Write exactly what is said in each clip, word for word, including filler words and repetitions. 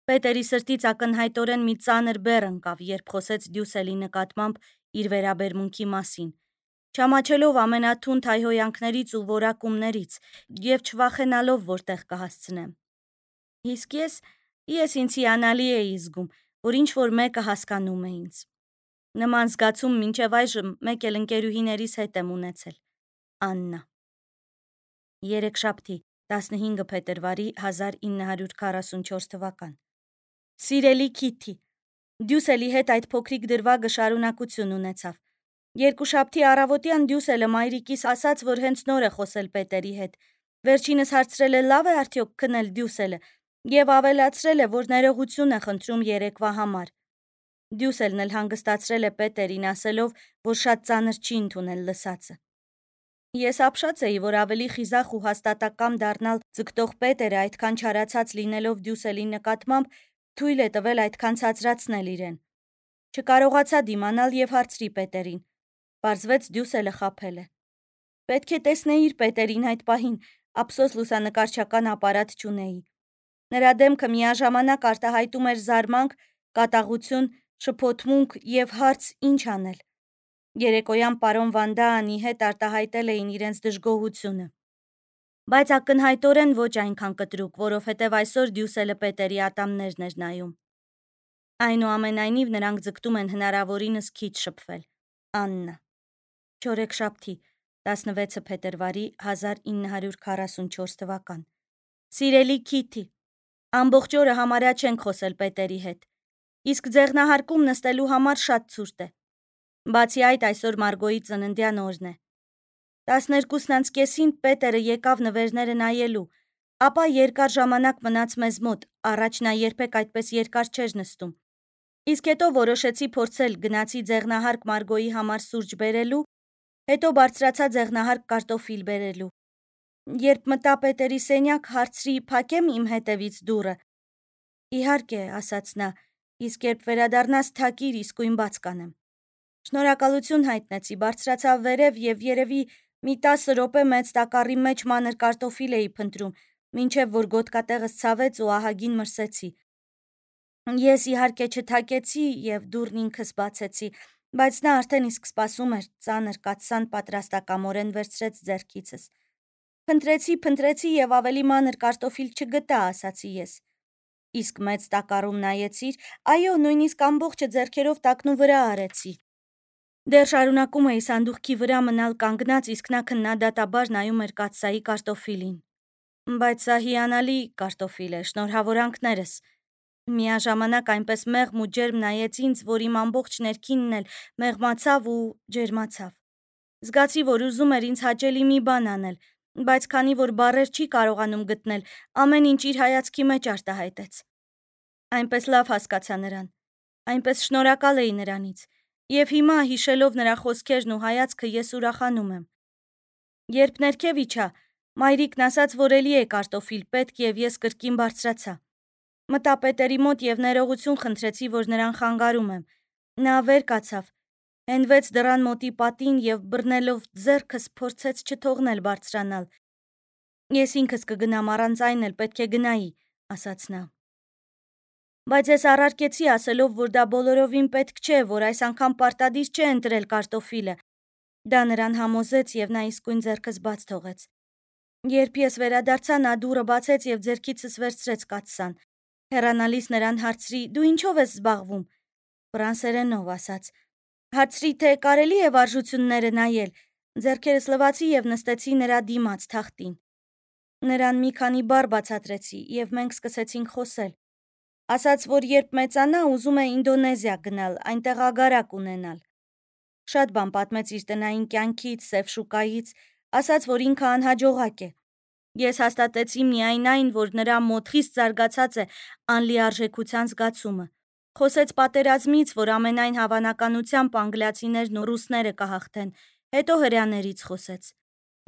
Պետերի սրտից ակնհայտորեն մի ծանր բեռ ընկավ, երբ խոսեց Դյուսելի նկատմամբ իր վերաբերմունքի մասին, չամաչելով ամենաթունդ հայհոյանքներից ու որակումներից և չվախենալով, որտեղ կհասցնեմ։ Իսկ ես, ես ինձ հիանալի էի զգում, որ ինչ-որ մեկը հասկանում է ինձ։ Նման զգացում մինչև այժմ մեկ էլ ընկերուհիներիս հետ եմ ունեցել։ Աննա։ Երեքշաբթի, տասնհինգ փետրվարի հազար ինը հարյուր քառասունչորս թվական։ Սիրելի Քիթի, Դյուսելի հետ այդ փոքրիկ դրվագը շարունակություն ունեցավ։ Երկուշաբթի առավոտյան Դյուսելը մայրիկիս ասաց, որ հենց նոր է խոսել Պետերի հետ։ Վերջինս հարցրել է լավ է արդյոք քնել Դյուսելը և ավելացրել է, որ ներողություն է խնդրում երեկվա համար։ Դյուսելն էլ հանգստացրել է Պետերին, ասելով, որ շատ ծանր չի ընդունել լսածը։ Ես ապշած էի, որ ավելի խիզախ ու հաստատակամ դառնալ ձգտող Պետերը այդքան չարացած լինելով Դյուսելի նկատմամբ թույլ է տվել այդքան ցածրացնել իրեն։ Չկարողացա դիմանալ և հարցրի Պետերին։ Պարզվեց Դյուսելը խաբել է։ Պետք է տեսնեիր Պետերին այդ պահին, ափսոս լուսանկարչական ապարատ չունեի։ Նրա դեմքը միաժամանակ արտահայտում էր զարմանք, կատաղություն, շփոթմունք և հարց ինչ անել։ Երեկոյան պարոն Վանդաանի հետ արտահայտել էին իրենց դժգոհությունը։ Բայց ակնհայտորեն ոչ այնքան կտրուկ, որովհետև այսօր Դյուսելը Պետերի ատամներն էր նայում։ Այնուամենայնիվ նրանք ձգտում են հնարավորինս քիչ շփվել։ Աննա։ Չորեքշաբթի, տասնվեցը փետրվարի հազար ինը հարյուր քառասունչորս թվական։ Սիրելի Քիթի, ամբողջ օրը համարյա չենք խոսել Պետերի հետ։ Իսկ ձեղնահարկում նստելու համար շատ ցուրտ է։ Բացի այդ, այսօր Մարգոյի ծննդյան օրն է։ տասներկուսն անց կեսին Պետերը եկավ նվերները նայելու, ապա երկար ժամանակ մնաց մեզ մոտ, առաջ նա երբեք այդպես երկար չէր նստում։ Իսկ հետո որոշեցի փորձել, գնացի ձեղնահարկ Մարգոյի համար սուրճ բերելու, հետո բարձրացա ձեղնահարկ կարտոֆիլ բերելու։ Երբ մտա Պետերի սենյակ, հարցրի՝ փակե՞մ իմ հետևից դուռը։ Իհարկե, ասաց նա, իսկ երբ վերադառնաս թակիր, իսկույն բաց կանեմ։ Շնորհակալություն հայտնեցի, բարձրացա վերև և երևի մի տասը րոպե մեծ տակառի մեջ մանր կարտոֆիլ էի փնտրում, մինչև որ գոտկատեղս ցավեց ու ահագին մրսեցի։ Ես իհարկե չթակեցի և դուռն ինքս բացեցի, բայց նա արդեն իսկ սպասում էր, ծանր կաթսան պատրաստակամորեն վերցրեց ձեռքիցս։ Փնտրեցի, փնտրեցի և ավելի մանր կարտոֆիլ չգտա, ասացի ես։ Իսկ մեծ տակառում նայեցիր, այո, նույնիսկ ամբողջը ձեռքերով տակնու վրա արեցի։ Դեռ շարունակում էի սանդուղքի վրա մնալ կանգնած, իսկ նա քննադատաբար նայում էր կաթսայի կարտոֆիլին։ Բայց սա հիանալի կարտոֆիլ է, շնորհավորանքներս։ Միաժամանակ այնպես մեղմ ու ջերմ նայեց ինձ, որ իմ ամբողջ ներքինն էլ մեղմացավ ու ջերմացավ։ Զգացի, որ ուզում էր ինձ հաճելի մի բան անել, բայց քանի որ բառեր չի կարողանում գտնել, ամեն ինչ իր հայացքի մեջ արտահայտեց։ Այնպես լավ հասկացա նրան, այնպես շնորհակալ էի նրանից, և հիմա, հիշելով նրա խոսքերն ու հայացքը, ես ուրախանում եմ։ Երբ ներքև իջա, մայրիկն ասաց, որ էլի է կարտոֆիլ պետք, և ես կրկին բարձրացա։ Մտա Պետերի մոտ և ներողություն խնդրեցի, որ նրան խանգարում եմ։ Նա վեր կացավ, հենվեց դռան մոտի պատին և բռնելով ձեռքս փորձեց չթողնել բարձրանալ։ Ես ինքս կգնամ, առանց այն էլ պետք է գնայի, ասաց նա։ Բայց ես առարկեցի, ասելով, որ դա բոլորովին պետք չէ, որ այս անգամ պարտադիր չէ ընտրել կարտոֆիլը։ Դա նրան համոզեց և նա իսկույն ձեռքս բաց թողեց։ Երբ ես վերադարձա, նա դուռը բացեց և ձեռքիցս վերցրեց կաթսան։ Հեռանալիս նրան հարցրի՝ դու ինչով ես զբաղվում։ Ֆրանսերենով, ասաց։ Հարցրի, թե կարելի է վարժությունները նայել։ Ձեռքերս լվացի և նստեցի նրա դիմաց թախտին։ Նրան մի քանի բառ բացատրեցի, և մենք սկսեցինք խոսել։ Ասաց, որ երբ մեծանա, ուզում է Ինդոնեզիա գնալ, այնտեղ ագարակ ունենալ։ Շատ բան պատմեց իր տնային կյանքից, սև շուկայից, ասաց, որ ինքը անհաջողակ է։ Ես հաստատեցի միայն այն, որ նրա մոտ խիստ զարգացած է անլիարժեքության զգացումը։ Խոսեց պատերազմից, որ ամենայն հավանականությամբ անգլիացիներն ու ռուսները կհաղթեն, հետո հրեաներից խոսեց։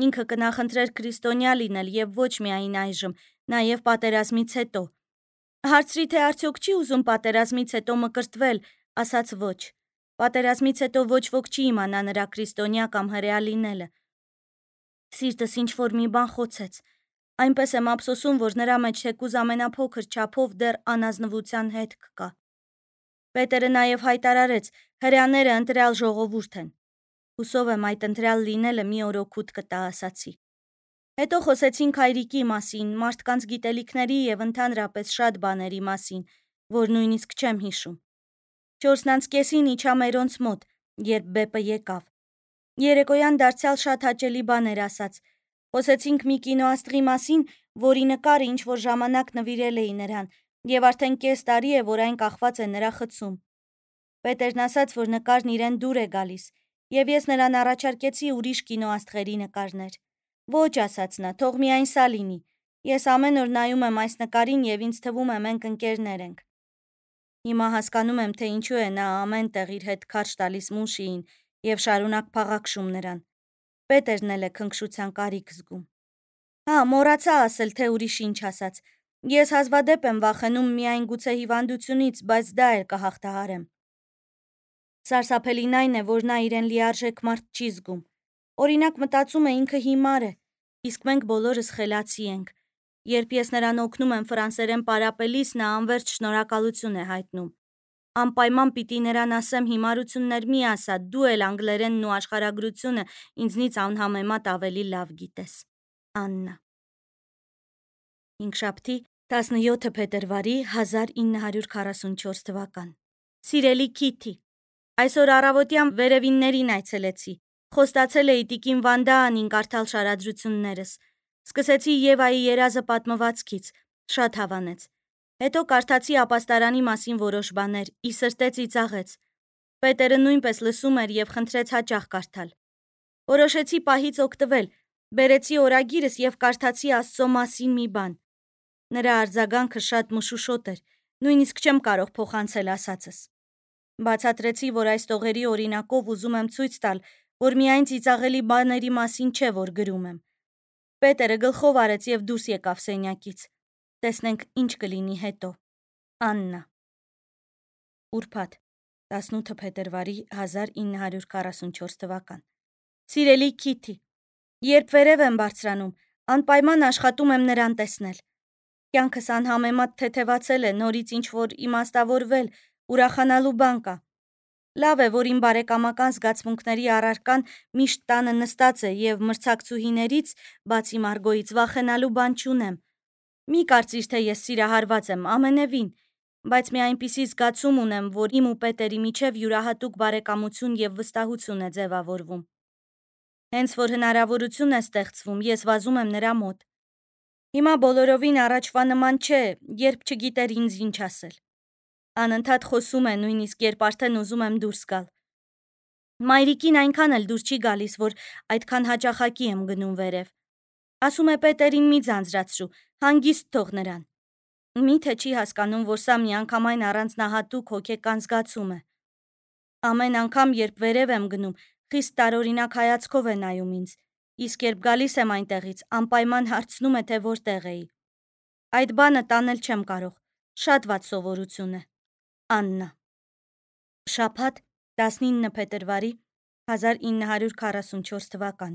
Ինքը կնախընտրեր քրիստոնյա լինել և ոչ միայն այժմ, նաև պատերազմից հետո։ Հարցրի, թե արդյոք չի ուզում պատերազմից հետո մկրտվել, ասաց ոչ։ Պատերազմից հետո ոչ ոք չի իմանա նրա քրիստոնյա կամ հրեա լինելը։ Սիրտս ինչ-որ մի բան խոցեց։ Այնպես եմ ափսոսում, որ նրա մեջ թեկուզ ամենափոքր չափով դեռ անազնվության հետք կա։ Պետերը նաև հայտարարեց, հրեաները ընտրյալ ժողովուրդ են։ Հուսով եմ այդ ընտրյալ լինելը մի օր օգուտ կտա, ասացի։ Հետո խոսեցինք հայրիկի մասին, մարդկանց գիտելիքների եւ ընդհանրապես շատ բաների մասին, որ նույնիսկ չեմ հիշում։ Չորսն անց կեսին իջա մերոնց մոտ, երբ Բեպը եկավ։ Երեկոյան դարձյալ շատ հաճելի բաներ ասաց։ Խոսեցինք մի կինոաստրի մասին, որի նկարը ինչ-որ ժամանակ նվիրել էի նրան, եւ արդեն կես տարի է, որ այն կախված է նրա խցում։ Պետերն ասաց, որ նկարն իրեն դուր է գալիս, եւ ես նրան առաջարկեցի ուրիշ կինոաստղերի նկարներ։ Ոչ, ասաց նա, թող միայն սա լինի։ Ես ամեն օր նայում եմ այս նկարին եւ ինձ թվում է մենք ընկերներ ենք։ Հիմա հասկանում եմ, թե ինչու է նա ամեն տեղ իր հետ քարշ տալիս Մուշիին եւ շարունակ փաղաքշում նրան։ Պետերն էլ է քնքշության կարիք զգում։ Հա, մոռացա ասել, թե ուրիշ ինչ ասաց։ Ես հազվադեպ եմ վախենում միայն գուցե հիվանդությունից, բայց դա էլ կհաղթահարեմ։ Սարսափելին այն է, որ նա իրեն լիարժեք մարդ չի զգում։ Օրինակ մտածում է ինքը հիմար է, իսկ մենք բոլորս խելացի ենք։ Երբ ես նրան օգնում եմ ֆրանսերեն պարապելիս, նա անվերջ շնորհակալություն է հայտնում։ Անպայման պիտի նրան ասեմ հիմարություններ մի ասա, դու էլ անգլերենն ու աշխարհագրությունը ինձնից անհամեմատ ավելի լավ գիտես։ Աննա։ Հինգշաբթի տասնյոթ փետրվարի հազար ինը հարյուր քառասունչորս թվական։ Սիրելի Քիթի, այսօր առավոտյան վերևիններին այցելեցի։ Խոստացել էի տիկին Վանդաանին կարդալ շարադրություններս։ Սկսեցի Եվայի երազը պատմվածքից, շատ հավանեց։ Հետո կարդացի ապաստարանի մասին որոշ բաներ, ի սրտե ծիծաղեց։ Պետերը նույնպես լսում էր եւ խնդրեց հաճախ կարդալ։ Որոշեցի պահից օգտվել, բերեցի օրագիրս եւ կարդացի Աստծո մասին մի բան։ Նրա արձագանքը շատ մշուշոտ էր, նույնիսկ չեմ կարող փոխանցել ասածս։ Բացատրեցի, որ այս տողերի օրինակով ուզում եմ ցույց տալ, որ միայն ծիծաղելի բաների մասին չէ, որ գրում եմ։ Պետերը գլխով արեց եւ դուրս եկավ սենյակից։ Տեսնենք ինչ կլինի հետո։ Աննա։ Ուրբաթ տասնութ փետրվարի հազար ինը հարյուր քառասունչորս թվական։ Սիրելի Քիթի, երբ վերև եմ բարձրանում, անպայման աշխատում եմ նրան տեսնել։ Կյանքս անհամեմատ թեթևացել է, նորից ինչ-որ իմաստավորվել, ուրախանալու բան կա։ Լավ է, որ իմ բարեկամական զգացմունքների առարկան միշտ տանը նստած է եւ մրցակցուհիներից, բացի Մարգոյից, վախենալու բան չունեմ։ Մի կարծիր, թե ես սիրահարված եմ, ամենևին, բայց մի այնպիսի զգացում ունեմ, որ իմ ու Պետերի միջև յուրահատուկ բարեկամություն եւ վստահություն է ձևավորվում։ Հենց որ հնարավորություն է ստեղծվում, ես վազում եմ նրա մոտ։ Հիմա բոլորովին առաջվա նման չէ, երբ չգիտեր ինձ ինչ ասել։ Անընդհատ խոսում է, նույնիսկ երբ արդեն ուզում եմ դուրս գալ։ Մայրիկին այնքան էլ դուր չի գալիս, որ այդքան հաճախակի եմ գնում վերև։ Ասում է Պետերին մի ձանձրացրու, հանգիստ թող նրան։ Միթե չի հասկանում, որ սա միանգամայն առանձնահատուկ հոգեկան զգացում է։ Ամեն անգամ, երբ վերև եմ գնում, խիստ տարօրինակ հայացքով է նայում ինձ, իսկ երբ գալիս եմ այնտեղից, անպայման հարցնում է, թե որտեղ էի։ Այդ բանը տանել չեմ կարող, շատ վատ սովորություն է։ Աննա։ Շաբաթ տասնինը փետրվարի հազար ինը հարյուր քառասունչորս թվական։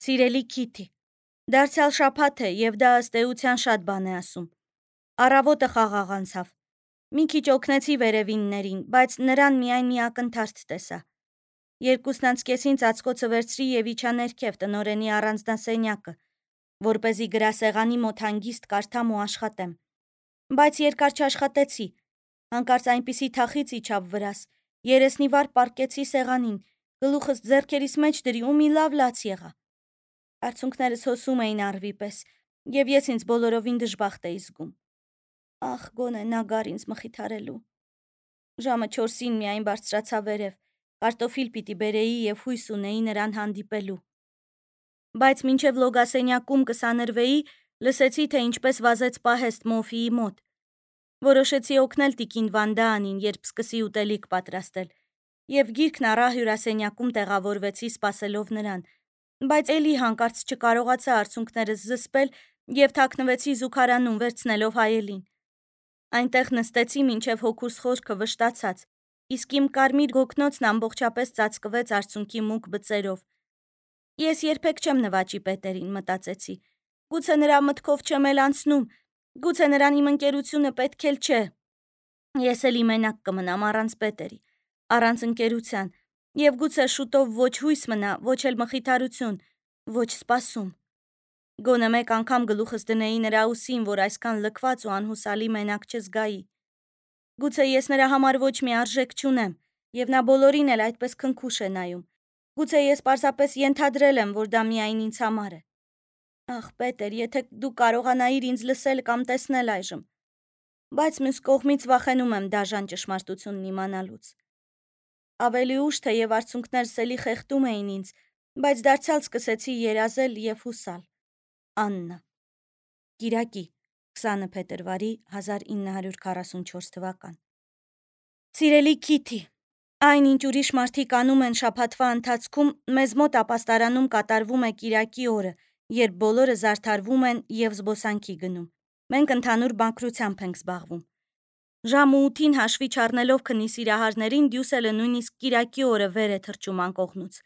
Սիրելի Քիթի, դարձյալ շաբաթ է եւ դա ըստ էության շատ բան է ասում։ Առավոտը խաղաղ անցավ։ Մի քիչ օգնեցի վերևիններին, բայց նրան միայն մի ակնթարթ տեսա։ Երկուսն անց կեսին ծածկոցը վերցրի եւ իջա ներքև տնորենի առանձնասենյակը, որպեսզի գրասեղանի մոտ հանգիստ կարդամ ու աշխատեմ։ Բայց երկար չաշխատեցի։ Հանկարծ այնպիսի թախից իջավ վրաս, երեսնիվար պառկեցի սեղանին, գլուխս ձեռքերիս մեջ դրի ու մի լավ լաց եղա։ Արցունքներս հոսում էին առվի պես, եւ ես ինձ բոլորովին դժբախտ էի զգում։ Ախ, գոնե նա գար ինձ մխիթարելու։ Ժամը չորսին միայն բարձրացա վերև, կարտոֆիլ պիտի բերեի եւ հույս ունեի նրան հանդիպելու։ Բայց մինչև լոգասենյակում կսանրվեի, լսեցի, թե ինչպես վազեց պահեստ Մոֆիի մոտ։ Որոշեցի օգնել տիկին Վանդաանին, երբ սկսի ուտելիք պատրաստել, եւ գիրքն առա հյուրասենյակում տեղավորվեցի սպասելով նրան, բայց էլի հանկարծ չկարողացա արցունքներս զսպել եւ թաքնվեցի զուգարանում վերցնելով հայելին։ Այնտեղ նստեցի մինչև հոգուս խորքը վշտացած, իսկ իմ կարմիր գոգնոցն ամբողջապես ծածկվեց արցունքի մուգ բծերով։ Ես երբեք չեմ նվաճի Պետերին, մտածեցի, Գուցե նրա մտքով չեմ էլ անցնում, գուցե նրան իմ ընկերությունը պետք էլ չէ։ Ես էլի մենակ կմնամ առանց Պետերի, առանց ընկերության, եւ գուցե շուտով ոչ հույս մնա, ոչ էլ մխիթարություն, ոչ սպասում։ Գոնե մեկ անգամ գլուխս դնեի նրա ուսին, որ այսքան լքված ու անհուսալի մենակ չզգայի։ Գուցե ես նրա համար ոչ մի արժեք չունեմ, եւ նա բոլորին էլ այդպես քնքուշ է նայում։ Գուցե ես պարզապես ենթադրել եմ, որ դա միայն ինձ համար է։ Ախ, Պետեր, եթե դու կարողանայիր ինձ լսել կամ տեսնել այժմ։ Բայց մյուս կողմից վախենում եմ դաժան ճշմարտությունն իմանալուց։ Ավելի ուշ թեև արցունքներս էլի խեղդում էին ինձ, բայց դարձյալ սկսեցի երազել եւ հուսալ։ Աննա։ Կիրակի, քսանը փետրվարի հազար ինը հարյուր քառասունչորս թվական։ Սիրելի Քիթի, այնինչ ուրիշ մարդիկ անում են շաբաթվա ընթացքում, մեզ մոտ ապաստարանում կատարվում է կիրակի օրը, երբ բոլորը զարդարվում են եւ զբոսանքի գնում։ Մենք ընդհանուր բանկրությամբ ենք զբաղվում։ Ժամը ութին հաշվի չառնելով քնի սիրահարներին Դյուսելը նույնիսկ կիրակի օրը վեր է թռչում անկողնուց։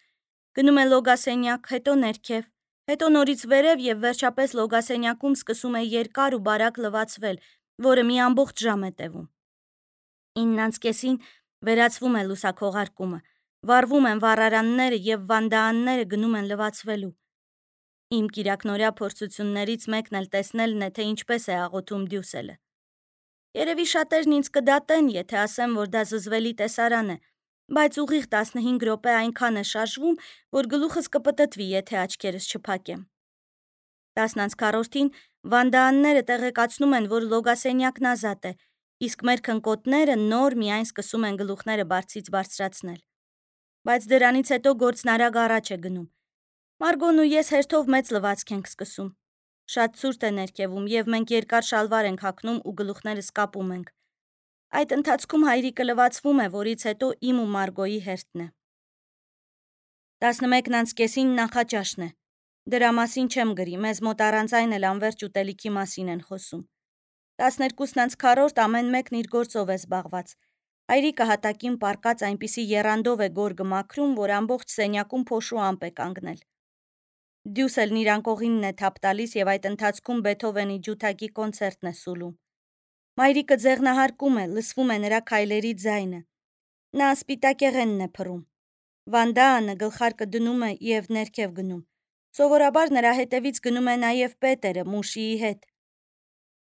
Գնում է լոգասենյակ, հետո ներքև, հետո նորից վերև եւ վերջապես լոգասենյակում սկսում է երկար ու բարակ լվացվել, որը մի ամբողջ ժամ է տևում։ իննանց կեսին վերացվում է լուսաքողարկումը, վառվում են վառարանները եւ վանդաանները գնում են լվացվելու։ Իմ կիրակնորյա փորձություններից մեկն էլ տեսնելն է, թե ինչպես է աղոթում Դյուսելը։ Երևի շատերն ինձ կդատեն, եթե ասեմ, որ դա զզվելի տեսարան է, բայց ուղիղ տասնհինգ րոպե այնքան է շարժվում, որ գլուխս կպտտվի, եթե աչքերս չփակեմ։ տասն անց քառորդին վանդաանները տեղեկացնում են, որ լոգասենյակն ազատ է, իսկ մեր քնկոտները նոր միայն սկսում են գլուխները բարձից բարձրացնել։ Բայց դրանից հետո գործն արագ առաջ է գնում։ Մարգոն ու ես հերթով մեծ լվացք ենք սկսում։ Շատ ցուրտ է ներքևում եւ մենք երկար շալվար ենք հագնում ու գլուխներս կապում ենք։ Այդ ընթացքում հայրիկը լվացվում է, որից հետո իմ ու Մարգոյի հերթն է։ տասնմեկն անց կեսին նախաճաշն է։ Դրա մասին չեմ գրի, մեզ մոտ առանց այն էլ անվերջ ուտելիքի մասին են խոսում։ տասներկուսն անց քառորդ ամեն մեկն իր գործով է զբաղված։ Հայրիկը հատակին պառկած այնպիսի եռանդով է գորգը մաքրում, որ ամբողջ սենյակում փոշու ամպ է կանգնել։ Դյուսելն իր անկողինն է թափ տալիս եւ այդ ընթացքում Բեթհովենի ջութակի կոնցերտն է սուլում։ Մայրիկը ձեղնահարկում է, լսվում է նրա քայլերի ձայնը։ Նա սպիտակեղենն է փռում։ Վանդաանը գլխարկը դնում է եւ ներքև գնում։ Սովորաբար նրա հետևից գնում է նաեւ Պետերը Մուշիի հետ։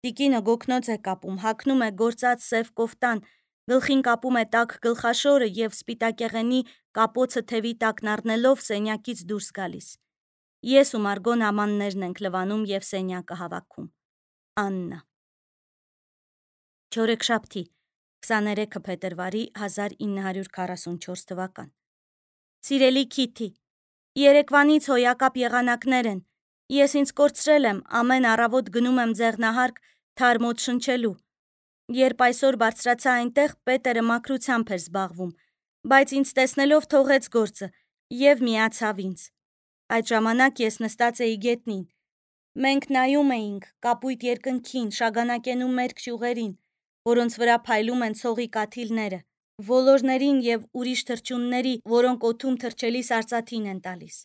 Տիկինը գոգնոց է կապում, հագնում է գործած սև կոֆտան, գլխին կապում է տաք գլխաշորը եւ սպիտակեղենի կապոցը թևի տակն առնելով սենյակից դուրս գալիս։ Ես ու Մարգոն ամաններն ենք լվանում եւ սենյակը հավաքում։ Աննա։ Չորեքշաբթի, քսաներեքը փետրվարի հազար ինը հարյուր քառասունչորս թվական։ Սիրելի Քիթի, երեկվանից հոյակապ եղանակներ են։ Ես ինձ կորցրել եմ, ամեն առավոտ գնում եմ ձեղնահարկ թարմոց շնչելու։ Երբ այսօր բարձրացա այնտեղ, Պետերը մաքրությամբ էր զբաղվում, բայց ինձ տեսնելով թողեց գործը եւ միացավ ինձ։ Այդ ժամանակ ես նստած էի գետնին։ Մենք նայում էինք կապույտ երկնքին, շագանակենում մերկ ճյուղերին, որոնց վրա փայլում են ցողի կաթիլները, ոլորներին եւ ուրիշ թռչունների, որոնք օդում թռչելիս արծաթին են տալիս։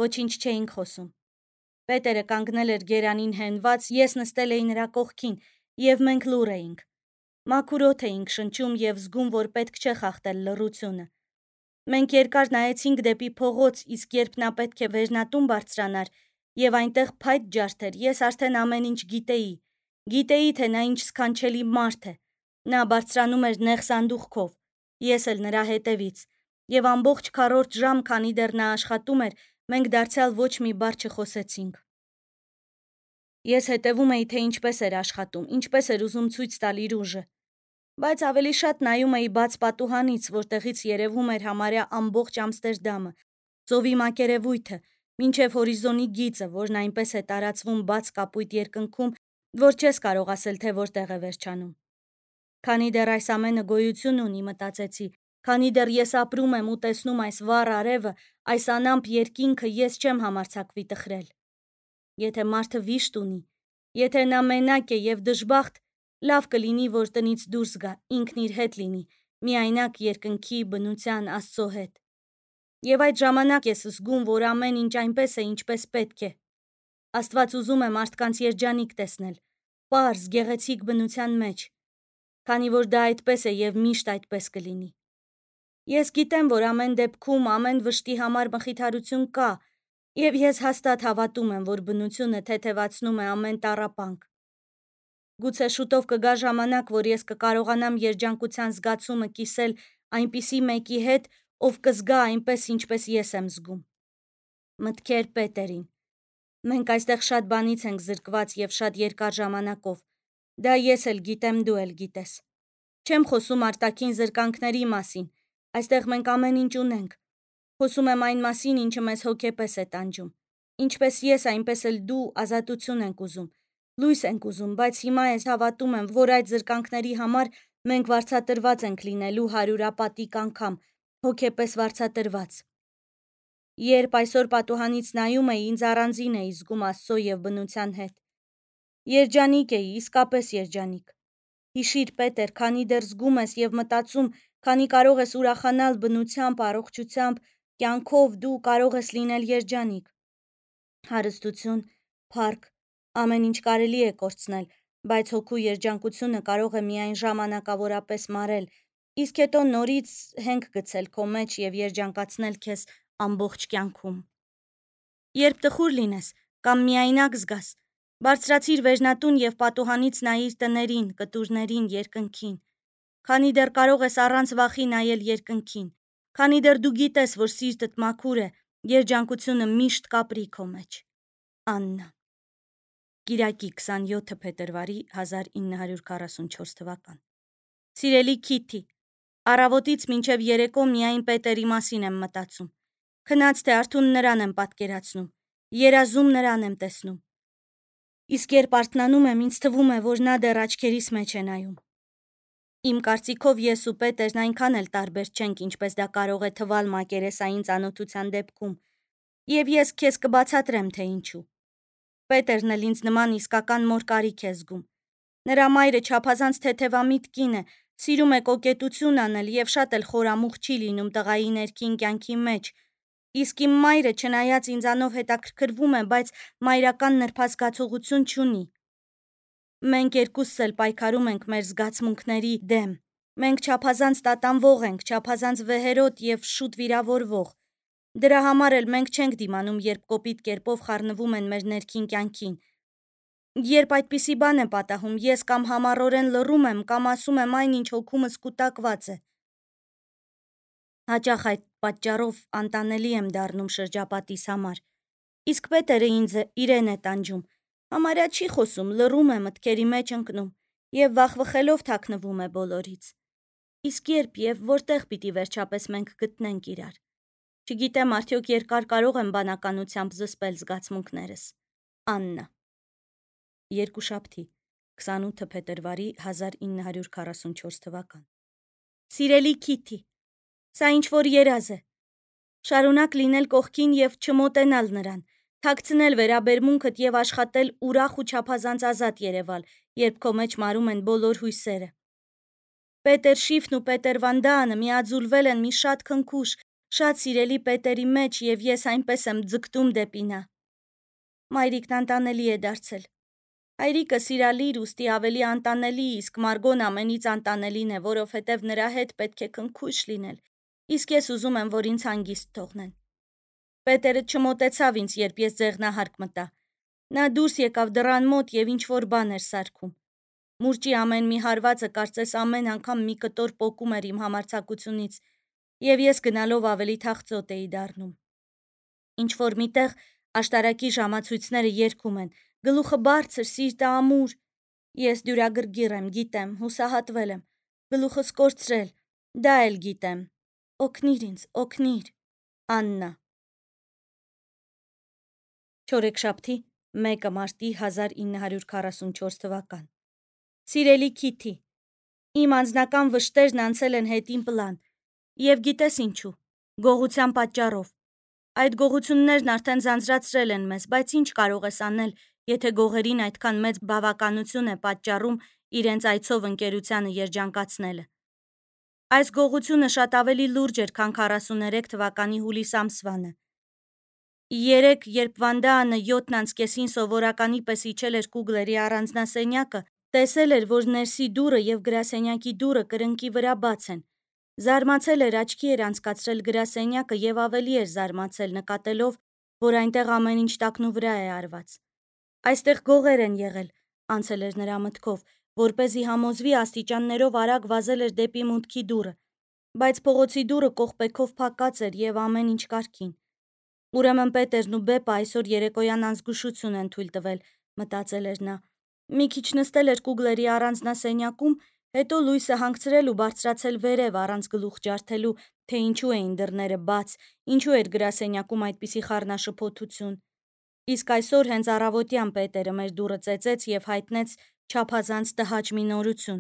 Ոչինչ չէինք խոսում։ Պետերը կանգնել էր գերանին հենված, ես նստել էի նրա կողքին եւ մենք լուռ էինք։ Մաքուր օդ էինք շնչում եւ զգում, որ պետք չէ խախտել լռությունը։ Մենք երկար նայեցինք դեպի փողոց, իսկ երբ նա պետք է վերնատուն բարձրանար եւ այնտեղ փայտ ջարդեր, ես արդեն ամեն ինչ գիտեի։ Գիտեի, թե նա ինչ սքանչելի մարդ է։ Նա բարձրանում էր նեղ սանդուղքով, ես էլ նրա հետևից, եւ ամբողջ քառորդ ժամ, քանի դեռ նա աշխատում էր, մենք դարձյալ ոչ մի բառ չխոսեցինք։ Ես հետևում էի, թե ինչպես էր աշխատում, ինչպես էր ուզում ցույց տալ իր ուժը, բայց ավելի շատ նայում էի բաց պատուհանից, որտեղից երևում էր համարյա ամբողջ Ամստերդամը, ծովի մակերևույթը, մինչև հորիզոնի գիծը, որն այնպես է տարածվում բաց կապույտ երկնքում, որ չես կարող ասել, թե որտեղ է վերջանում։ Քանի դեռ այս ամենը գոյություն ունի, մտածեցի, քանի դեռ ես ապրում եմ ու տեսնում այս վառ արևը, այս անամպ երկինքը, ես չեմ համարձակվի տխրել։ Եթե մարդը վիշտ ունի, եթե նա մենակ է եւ դժբախտ, լավ կլինի, որ տնից դուրս գա, ինքն իր հետ լինի, միայնակ երկնքի, բնության, Աստծո հետ։ Եվ այդ ժամանակ ես զգում, որ ամեն ինչ այնպես է, ինչպես պետք է։ Աստված ուզում է մարդկանց երջանիկ տեսնել, պարզ, գեղեցիկ բնության մեջ, քանի որ դա այդպես է եւ միշտ այդպես կլինի։ Ես գիտեմ, որ ամեն դեպքում ամեն վշտի համար մխիթարություն կա, եւ ես հաստատ հավատում եմ, որ բնությունը թեթևացնում է ամեն տառապանք։ Գուցե շուտով կգա ժամանակ, որ ես կկարողանամ երջանկության զգացումը կիսել այնպիսի մեկի հետ, ով կզգա այնպես, ինչպես ես եմ զգում։ Մտքեր Պետերին։ Մենք այստեղ շատ բանից ենք զրկված եւ շատ երկար ժամանակով։ Դա ես էլ գիտեմ, դու էլ գիտես։ Չեմ խոսում արտաքին զրկանքների մասին։ Այստեղ մենք ամեն ինչ ունենք։ Խոսում եմ այն մասին, ինչը մեզ հոգեպես է տանջում։ Ինչպես ես, այնպես էլ դու ազատություն ենք ուզում։ Լույս ենք ուզում, բայց հիմա ես հավատում եմ, որ այդ զրկանքների համար մենք վարձատրված ենք լինելու հարյուրապատիկ անգամ, հոգեպես վարձատրված։ Երբ այսօր պատուհանից նայում էի, ինձ առանձին էի զգում Աստծո եւ բնության հետ։ Երջանիկ էի, իսկապես երջանիկ։ Հիշիր, Պետեր, քանի դեռ զգում ես եւ մտածում, քանի կարող ես ուրախանալ բնությամբ, առողջությամբ, կյանքով, դու կարող ես լինել երջանիկ։ Հարստություն, փառք, ամեն ինչ կարելի է կորցնել, բայց հոգու երջանկությունը կարող է միայն ժամանակավորապես մարել, իսկ հետո նորից հենք գցել քո մեջ եւ երջանկացնել քեզ ամբողջ կյանքում։ Երբ տխուր լինես կամ միայնակ զգաս, բարձրացիր վերնատուն եւ պատուհանից նայիր տներին, կտուրներին, երկնքին, քանի դեռ կարող ես առանց վախի նայել երկնքին, քանի դեռ դու գիտես, որ սիրտդ մաքուր է, երջանկությունը միշտ կապրի քո մեջ։ Աննա։ Կիրակի քսանյոթ փետրվարի հազար ինը հարյուր քառասունչորս թվական։ Սիրելի Քիթի, առավոտից մինչև երեկո միայն Պետերի մասին եմ մտածում։ Քնած թե արթուն նրան եմ պատկերացնում, երազում նրան եմ տեսնում։ Իսկ երբ արթնանում եմ, ինձ թվում է, որ նա դեռ աչքերիս մեջ է նայում։ Իմ կարծիքով ես ու Պետերն այնքան էլ տարբեր չենք, ինչպես դա կարող է թվալ մակերեսային ծանոթության դեպքում, եւ ես քեզ կբացատրեմ, թե ինչու։ Պետերն էլ ինձ նման իսկական մոր կարիք է զգում։ Նրա մայրը չափազանց թեթևամիտ կին է, սիրում է կոկետություն անել եւ շատ էլ խորամուխ չի լինում տղայի ներքին կյանքի մեջ, իսկ իմ մայրը, չնայած ինձանով հետաքրքրվում է, բայց մայրական նրբազգացողություն չունի։ Մենք երկուսս էլ պայքարում ենք մեր զգացմունքների դեմ։ Մենք չափազանց տատանվող ենք, չափազանց վեհերոտ եւ շուտ վիրավորվող։ Դրա համար էլ մենք չենք դիմանում, երբ կոպիտ կերպով խառնվում են մեր ներքին կյանքին։ Երբ այդպիսի բան է պատահում, ես կամ համառորեն լռում եմ, կամ ասում եմ այն, ինչ հոգումս կուտակված է։ Հաճախ այդ պատճառով անտանելի եմ դառնում շրջապատիս համար։ Իսկ Պետերը ինձ իրեն է տանջում։ Համարյա չի խոսում, լռում է, մտքերի մեջ ընկնում եւ վախվխելով թաքնվում է բոլորից։ Իսկ երբ եւ որտեղ պիտի վերջապես մենք գտնենք իրար։ Չգիտեմ, արդյոք երկար կարող եմ բանականությամբ զսպել զգացմունքներս։ Աննա։ Երկուշաբթի, քսանութ փետրվարի հազար ինը հարյուր քառասունչորս թվական։ Սիրելի Քիթի, սա ինչ-որ երազ է։ Շարունակ լինել կողքին եւ չմոտենալ նրան, թաքցնել վերաբերմունքդ եւ աշխատել ուրախ ու չափազանց ազատ երևալ, երբ քո մեջ մարում են բոլոր հույսերը։ Պետեր Շիֆն ու Պետեր Վանդանը միաձուլվել են մի շատ քնքուշ, շատ սիրելի Պետերի մեջ եւ ես այնպես եմ ձգտում դեպի նա։ Մայրիկն անտանելի է դարձել։ Հայրիկը սիրալիր, ուստի ավելի անտանելի, իսկ Մարգոն ամենից անտանելին է, որովհետև նրա հետ պետք է քնքուշ լինել, իսկ ես ուզում եմ, որ ինձ հանգիստ թողնեն։ Պետերը չմոտեցավ ինձ, երբ ես ձեղնահարկ մտա։ Նա դուրս եկավ դռան մոտ եւ ինչ-որ բան էր սարքում։ Մուրճի ամեն մի հարվածը կարծես ամեն անգամ մի կտոր պոկում էր իմ համարձակությունից, եւ ես գնալով ավելի թախծոտ էի դառնում։ Ինչ-որ միտեղ աշտարակի ժամացույցները երգում են, գլուխը բարձր, սիրտը ամուր։ Ես դյուրագրգիռ եմ, գիտեմ, հուսահատվել եմ, գլուխս կորցրել, դա էլ գիտեմ։ Օգնիր ինձ, օգնիր։ Աննա։ Չորեքշաբթի, մեկը մարտի հազար ինը հարյուր քառասունչորս թվական։ Սիրելի Քիթի, իմ անձնական վշտերն անցել են հետին պլան, եւ գիտես ինչու, գողության պատճառով։ Այդ գողություններն արդեն ձանձրացրել են մեզ, բայց ինչ կարող ես անել, եթե գողերին այդքան մեծ բավականություն է պատճառում իրենց այցով ընկերությանը երջանկացնելը։ Այս գողությունը շատ ավելի լուրջ էր, քան քառասուներեք թվականի հուլիս ամսվանը։ Երեկ, երբ Վանդաանը յոթն անց կեսին սովորականի պես իջել էր Կուգլերի առանձնասենյակը, տեսել էր, որ ներսի դուռը եւ գրասենյակի դուռը կրկնակի վրա բաց են։ Զարմացել էր, աչքի էր անցկացրել գրասենյակը եւ ավելի էր զարմացել, նկատելով, որ այնտեղ ամեն ինչ տակնու վրա է արված։ Այստեղ գողեր են եղել, անցել էր նրա մտքով, որպեսզի համոզվի աստիճաններով արագ վազել էր դեպի մուտքի դուռը, բայց փողոցի դուռը կողպեքով փակած էր եւ ամեն ինչ կարգին։ Ուրեմն Պետերն ու Բեպը այսօր երեկոյան անզգուշություն են թույլ տվել, մտածել էր նա։ Մի քիչ նստել էր Կուգլերի առանձնասենյակում, հետո լույսը հանգցրել ու բարձրացել վերև առանց գլուխ ջարդելու, թե ինչու էին դռները բաց, ինչու էր գրասենյակում այդպիսի խառնաշփոթություն։ Իսկ այսօր հենց առավոտյան Պետերը մեր դուռը ծեծեց եւ հայտնեց չափազանց տհաճ մի նորություն։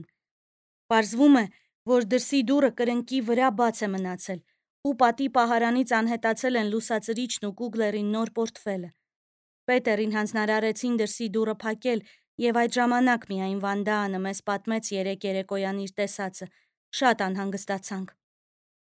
Պարզվում է, որ դրսի դուռը կրկնակի վրա բաց է մնացել, ու պատի պահարանից անհետացել են լուսածրիչն ու Կուգլերի նոր պորտֆելը։ Պետերին հանձնարարեցին դրսի դուռը փակել, եւ այդ ժամանակ միայն Վանդաանը մեզ պատմեց երեկ երեկոյան իր տեսածը։ Շատ անհանգստացանք։